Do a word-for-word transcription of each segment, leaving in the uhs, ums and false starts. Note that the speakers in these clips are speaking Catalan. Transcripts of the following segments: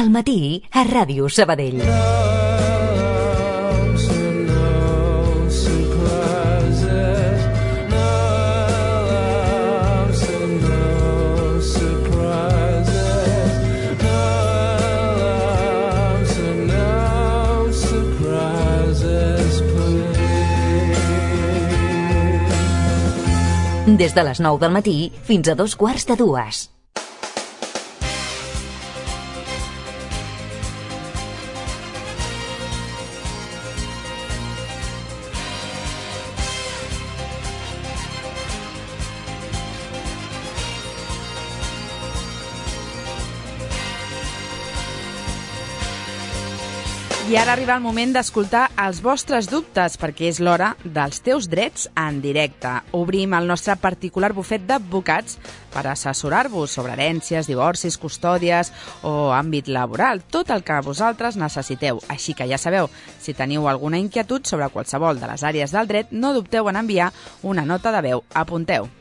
Al matí, a Ràdio Sabadell. Des de les nou del matí fins a dos quarts de dues. I ara arriba el moment d'escoltar els vostres dubtes, perquè és l'hora dels teus drets en directe. Obrim el nostre particular bufet d'advocats per assessorar-vos sobre herències, divorcis, custòdies o àmbit laboral, tot el que vosaltres necessiteu. Així que ja sabeu, si teniu alguna inquietud sobre qualsevol de les àrees del dret, no dubteu en enviar una nota de veu. Apunteu.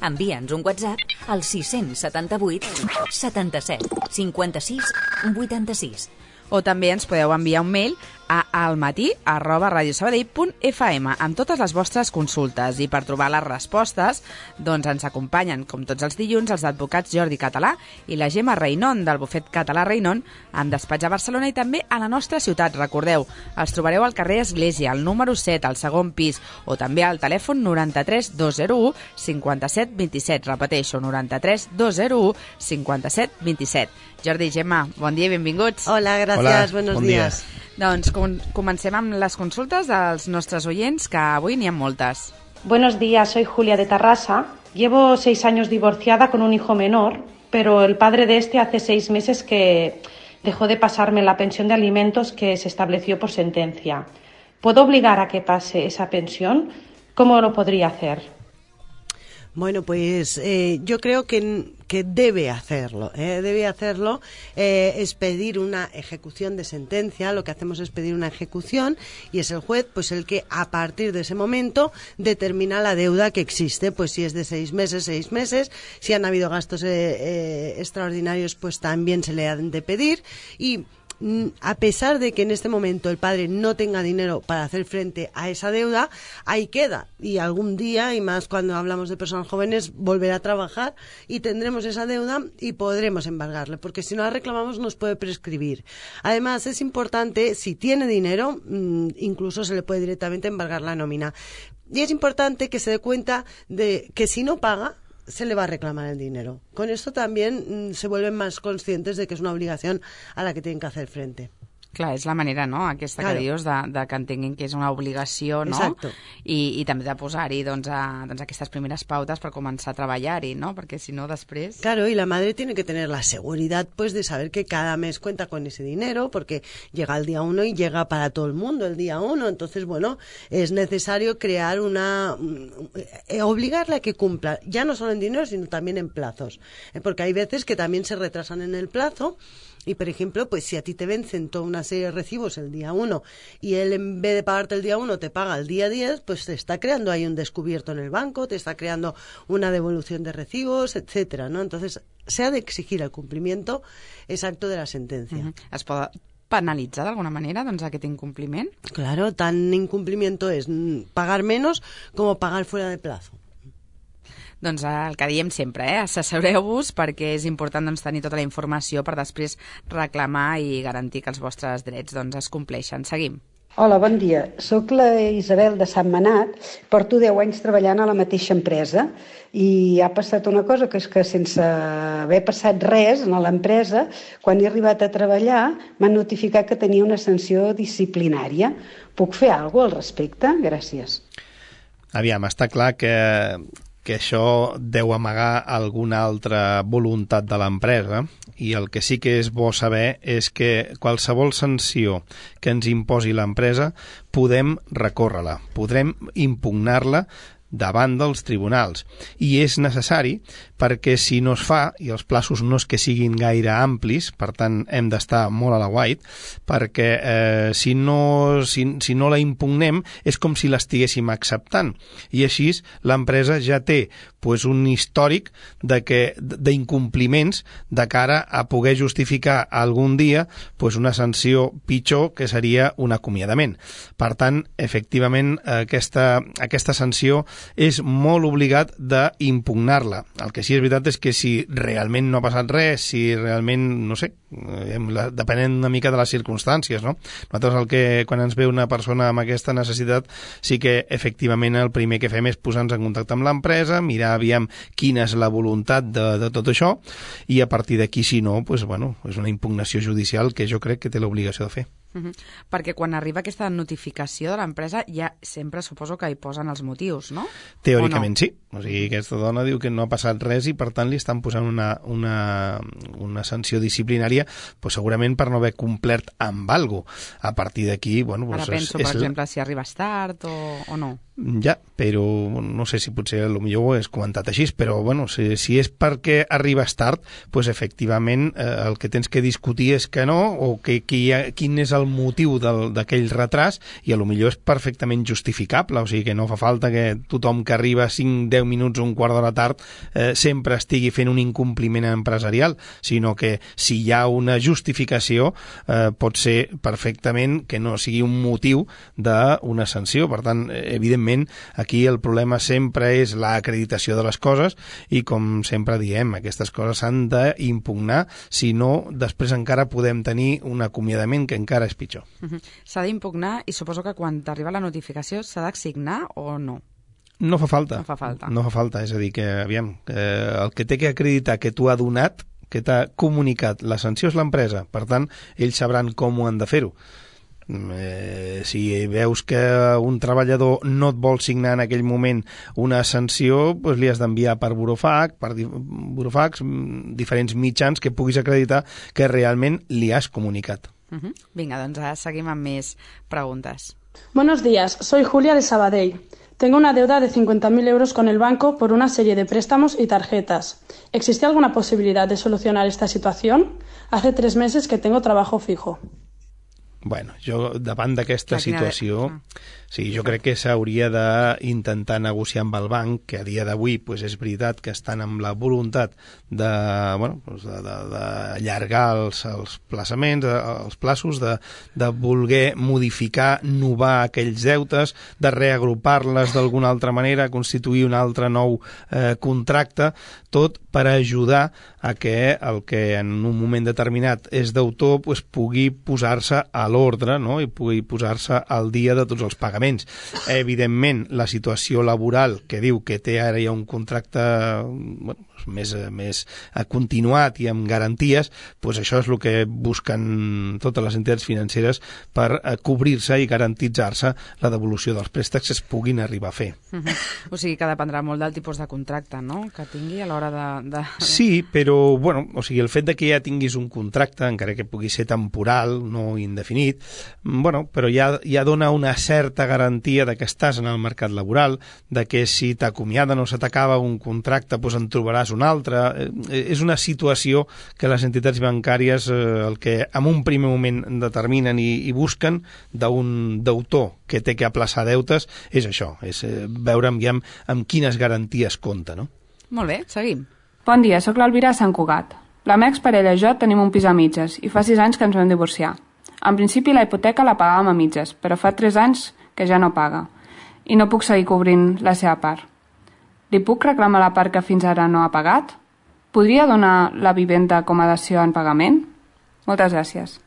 Envia'ns un WhatsApp al sis setanta-vuit setanta-set cinquanta-sis vuitanta-sis. O també ens podeu enviar un mail a almatí arroba radiosabadell punt f m amb totes les vostres consultes. I per trobar les respostes, doncs ens acompanyen, com tots els dilluns, els advocats Jordi Català i la Gemma Reinon, del bufet Català Reinon, amb despatx a Barcelona i també a la nostra ciutat. Recordeu, els trobareu al carrer Església, al número set, al segon pis, o també al telèfon noranta-tres dos zero u cinquanta-set vint-i-set. Repeteixo, noranta-tres dos zero u cinquanta-set vint-i-set. Jordi, Gemma, bon dia i benvinguts. Hola, gràcies, Hola, buenos bon días. dia. Doncs com comencem amb les consultes dels nostres oients, que avui n'hi ha moltes. Buenos días, soy Julia de Tarrasa. Llevo seis años divorciada con un hijo menor, pero el padre de este hace seis meses que dejó de pasarme la pensión de alimentos que se estableció por sentencia. ¿Puedo obligar a que pase esa pensión? ¿Cómo lo podría hacer? Bueno, pues eh, yo creo que, que debe hacerlo, ¿eh? debe hacerlo, eh, es pedir una ejecución de sentencia. Lo que hacemos es pedir una ejecución y es el juez pues el que a partir de ese momento determina la deuda que existe, pues si es de seis meses, seis meses, si han habido gastos eh, eh, extraordinarios pues también se le han de pedir. Y a pesar de que en este momento el padre no tenga dinero para hacer frente a esa deuda, ahí queda. Y algún día, y más cuando hablamos de personas jóvenes, volverá a trabajar y tendremos esa deuda y podremos embargarle, porque si no la reclamamos nos puede prescribir. Además, es importante, si tiene dinero, incluso se le puede directamente embargar la nómina. Y es importante que se dé cuenta de que si no paga, se le va a reclamar el dinero. Con esto también mmm, se vuelven más conscientes de que es una obligación a la que tienen que hacer frente. Clar, és la manera, no?, aquesta claro. que dius, de, de que entenguin que és una obligació, no? Exacto. I, i també de posar-hi doncs, a, doncs, aquestes primeres pautes per començar a treballar-hi, ¿no? Perquè si no, després... Claro, y la madre tiene que tener la seguridad pues de saber que cada mes cuenta con ese dinero, porque llega el día uno y llega para todo el mundo el día uno. Entonces, bueno, es necesario crear una... Eh, obligarle a que cumpla, ya no solo en dinero, sino también en plazos. Eh, porque hay veces que también se retrasan en el plazo. Y, por ejemplo, pues si a ti te vencen toda una serie de recibos el día uno y él en vez de pagarte el día uno te paga el día diez, pues te está creando ahí un descubierto en el banco, te está creando una devolución de recibos, etcétera, ¿no? Entonces, se ha de exigir el cumplimiento exacto de la sentencia. Uh-huh. Es pot penalitzar d'alguna manera doncs, aquest incompliment? Claro, tan incumplimiento es pagar menos como pagar fuera de plazo. Doncs el que diem sempre, eh? assessoreu-vos perquè és important doncs, tenir tota la informació per després reclamar i garantir que els vostres drets doncs, es compleixen. Seguim. Hola, bon dia. Soc la Isabel de Sant Manat. Porto deu anys treballant a la mateixa empresa i ha passat una cosa, que és que sense haver passat res a l'empresa, quan he arribat a treballar m'han notificat que tenia una sanció disciplinària. Puc fer alguna cosa al respecte? Gràcies. Aviam, està clar que... que això deu amagar alguna altra voluntat de l'empresa i el que sí que és bo saber és que qualsevol sanció que ens imposi l'empresa podem recórrer-la, podrem impugnar-la davant dels tribunals. I és necessari perquè si no es fa, i els plaços no és que siguin gaire amplis, per tant hem d'estar molt a la guait, perquè eh, si, no, si, si no la impugnem és com si l'estiguéssim acceptant. I així l'empresa ja té pues, un històric de que d'incompliments de cara a poder justificar algun dia pues, una sanció pitjor que seria un acomiadament. Per tant, efectivament, aquesta, aquesta sanció és molt obligat d'impugnar-la. El que sí és veritat és que si realment no ha passat res, si realment, no sé, depenent una mica de les circumstàncies, no? Nosaltres el que, quan ens ve una persona amb aquesta necessitat, sí que efectivament el primer que fem és posar-nos en contacte amb l'empresa, mirar aviam quina és la voluntat de, de tot això, i a partir d'aquí, si no, pues, bueno, és una impugnació judicial que jo crec que té l'obligació de fer. Uh-huh. Perquè quan arriba aquesta notificació de l'empresa ja sempre suposo que hi posen els motius, no? Teòricament no? Sí. O sigui, aquesta dona diu que no ha passat res i per tant li estan posant una, una, una sanció disciplinària pues, segurament per no haver complert amb alguna cosa. A partir d'aquí, bueno... Pues, Ara penso, és, per és exemple, si arribes tard o, o no. Ja, però no sé si potser potser ho és comentat així, però bueno, si, si és perquè arribes tard, pues, efectivament eh, el que tens que discutir és que no, o que, que hi ha, quin és el motiu d'aquell retras, i a lo millor és perfectament justificable, o sigui que no fa falta que tothom que arriba cinc deu minuts o un quart d'hora tard eh, sempre estigui fent un incompliment empresarial, sinó que si hi ha una justificació eh, pot ser perfectament que no sigui un motiu d'una sanció. Per tant, evidentment, aquí el problema sempre és l'acreditació de les coses i, com sempre diem, aquestes coses s'han d'impugnar, si no, després encara podem tenir un acomiadament que encara és pitjor. Uh-huh. S'ha d'impugnar i suposo que quan t'arriba la notificació s'ha d'assignar o no? No fa falta. No fa falta. No fa falta, és a dir, que, aviam, eh, el que té que acreditar que tu ha donat, que t'ha comunicat la sanció és l'empresa, per tant, ells sabran com ho han de fer-ho. Eh, si veus que un treballador no et vol signar en aquell moment una sanció, doncs li has d'enviar per burofax, per di burofax, diferents mitjans que puguis acreditar que realment li has comunicat. Uh-huh. Vinga, doncs ara seguim amb més preguntes. Buenos días, soy Julia de Sabadell. Tengo una deuda de cincuenta mil euros con el banco por una serie de préstamos y tarjetas. ¿Existe alguna posibilidad de solucionar esta situación? Hace tres meses que tengo trabajo fijo. Bueno, jo davant d'aquesta situació, sí, jo crec que s'hauria d'intentar negociar amb el banc, que a dia d'avui pues, és veritat que estan amb la voluntat de, bueno, pues de, de, d'allargar els, els plaçaments, els plaços, de, de voler modificar, novar aquells deutes, de reagrupar-les d'alguna altra manera, constituir un altre nou eh, contracte, tot per ajudar a que el que en un moment determinat és d'autor pues, pugui posar-se a l'ordre, no? I pugui posar-se al dia de tots els pagaments. Evidentment, la situació laboral que diu que té ara ja un contracte bueno, més, més continuat i amb garanties, doncs això és el que busquen totes les entitats financeres per cobrir-se i garantitzar-se la devolució dels préstecs que es puguin arribar a fer. Uh-huh. O sigui que dependrà molt del tipus de contracte, no?, que tingui a l'hora de, de... Sí, però bueno, o sigui, el fet de que ja tinguis un contracte, encara que pugui ser temporal, no indefinit, bueno, però ja, ja dona una certa garantia de que estàs en el mercat laboral, de que si t'acomiaden o se t'acaba un contracte, doncs en trobaràs un altre. Eh, és una situació que les entitats bancàries eh, el que en un primer moment determinen i, i busquen d'un deutor que té que aplaçar deutes és això, és eh, veure amb, amb, amb quines garanties compta, no? Molt bé, seguim. Bon dia, sóc l'Alvira de Sant Cugat. La meva exparella i jo tenim un pis a mitges i fa sis anys que ens vam divorciar. En principi la hipoteca la pagàvem a mitges, però fa tres anys que ja no paga i no puc seguir cobrint la seva part. Li puc reclamar la part que fins ara no ha pagat? Podria donar la vivenda com a dació en pagament? Moltes gràcies.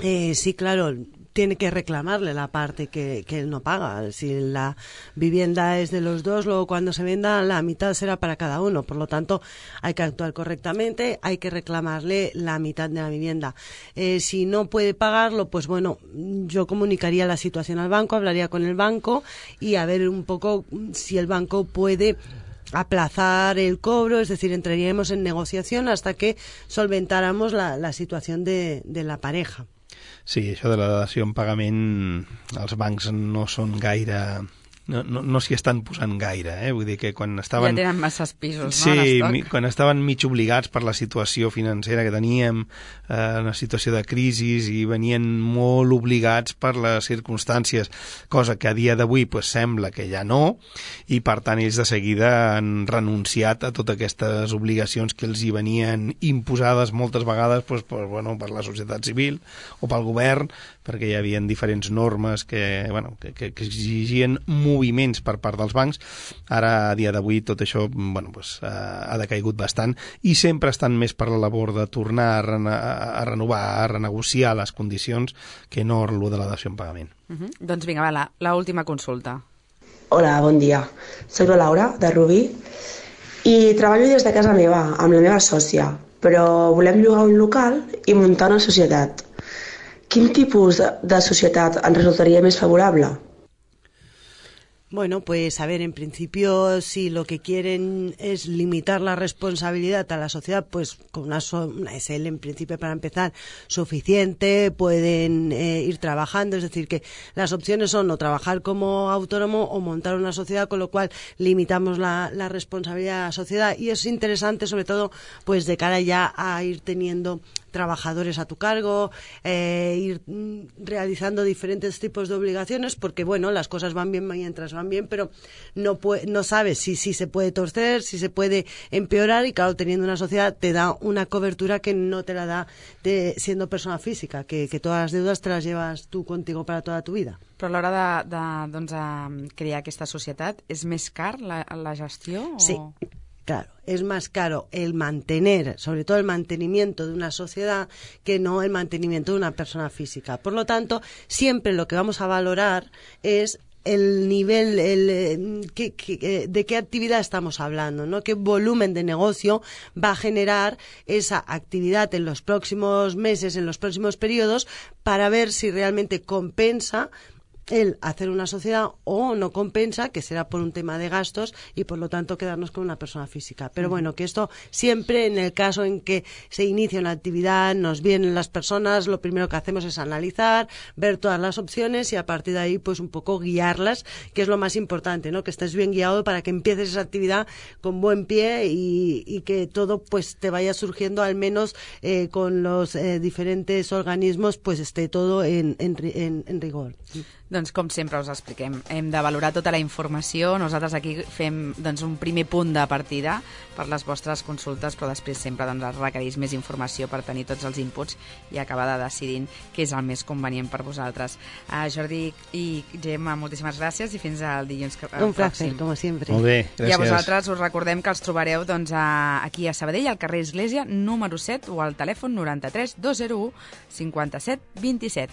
Eh, sí, claro, tiene que reclamarle la parte que, que él no paga. Si la vivienda es de los dos, luego cuando se venda la mitad será para cada uno. Por lo tanto, hay que actuar correctamente, hay que reclamarle la mitad de la vivienda. Eh, si no puede pagarlo, pues bueno, yo comunicaría la situación al banco, hablaría con el banco y a ver un poco si el banco puede aplazar el cobro, es decir, entraríamos en negociación hasta que solventáramos la, la situación de, de la pareja. Sí, això de la dació en pagament, els bancs no són gaire no, no, no s'hi estan posant gaire, eh? Vull dir que quan estaven... Ja tenen masses pisos, sí, no, Sí, l'estoc? quan estaven mig obligats per la situació financera que teníem, eh, una situació de crisi, i venien molt obligats per les circumstàncies, cosa que a dia d'avui pues, sembla que ja no, i per tant ells de seguida han renunciat a totes aquestes obligacions que els hi venien imposades moltes vegades pues, per, bueno, per la societat civil o pel govern, perquè hi havia diferents normes que, bueno, que, que, que exigien moviments per part dels bancs. Ara, a dia d'avui, tot això bueno, pues, uh, ha decaigut bastant i sempre estan més per la labor de tornar a, rena a renovar, a renegociar les condicions que no lo de la dació en pagament. Uh -huh. Doncs vinga, va, la, la última consulta. Hola, bon dia. Soc la Laura, de Rubí, i treballo des de casa meva, amb la meva sòcia, però volem llogar un local i muntar una societat. Quin tipus de, de societat ens resultaria més favorable? Bueno, pues a ver, en principio, si lo que quieren es limitar la responsabilidad a la sociedad, pues con una, so una S L en principio para empezar suficiente, pueden eh, ir trabajando, es decir, que las opciones son o trabajar como autónomo o montar una sociedad, con lo cual limitamos la, la responsabilidad a la sociedad, y es interesante sobre todo pues de cara ya a ir teniendo trabajadores a tu cargo, eh, ir mm, realizando diferentes tipos de obligaciones, porque bueno, las cosas van bien mientras van bien, pero no, no sabes si, si se puede torcer, si se puede empeorar, y claro, teniendo una sociedad te da una cobertura que no te la da de, siendo persona física, que, que todas las deudas te las llevas tú contigo para toda tu vida. Però a l'hora de, de, doncs, de crear aquesta societat, és més car la, la gestió? O... Sí. Claro, es más caro el mantener, sobre todo el mantenimiento de una sociedad, que no el mantenimiento de una persona física. Por lo tanto, siempre lo que vamos a valorar es el nivel, el, que, que, de qué actividad estamos hablando, ¿no? Qué volumen de negocio va a generar esa actividad en los próximos meses, en los próximos periodos, para ver si realmente compensa el hacer una sociedad o no compensa, que será por un tema de gastos y por lo tanto quedarnos con una persona física. Pero bueno, que esto siempre, en el caso en que se inicia una actividad, nos vienen las personas, lo primero que hacemos es analizar, ver todas las opciones y a partir de ahí pues un poco guiarlas, que es lo más importante, ¿no? Que estés bien guiado para que empieces esa actividad con buen pie y, y que todo pues te vaya surgiendo, al menos eh, con los eh, diferentes organismos, pues esté todo en, en, en, en rigor. Doncs com sempre us expliquem, hem de valorar tota la informació. Nosaltres aquí fem doncs, un primer punt de partida per les vostres consultes, però després sempre doncs, es requereix més informació per tenir tots els inputs i acabar de decidint què és el més convenient per vosaltres. Uh, Jordi i Gemma, moltíssimes gràcies i fins al dilluns que, uh, Un placer, pròxim. com sempre. Molt bé, gràcies. I a vosaltres us recordem que els trobareu doncs, a, aquí a Sabadell, al carrer Església, número set, o al telèfon noranta-tres dos zero u cinquanta-set vint-i-set.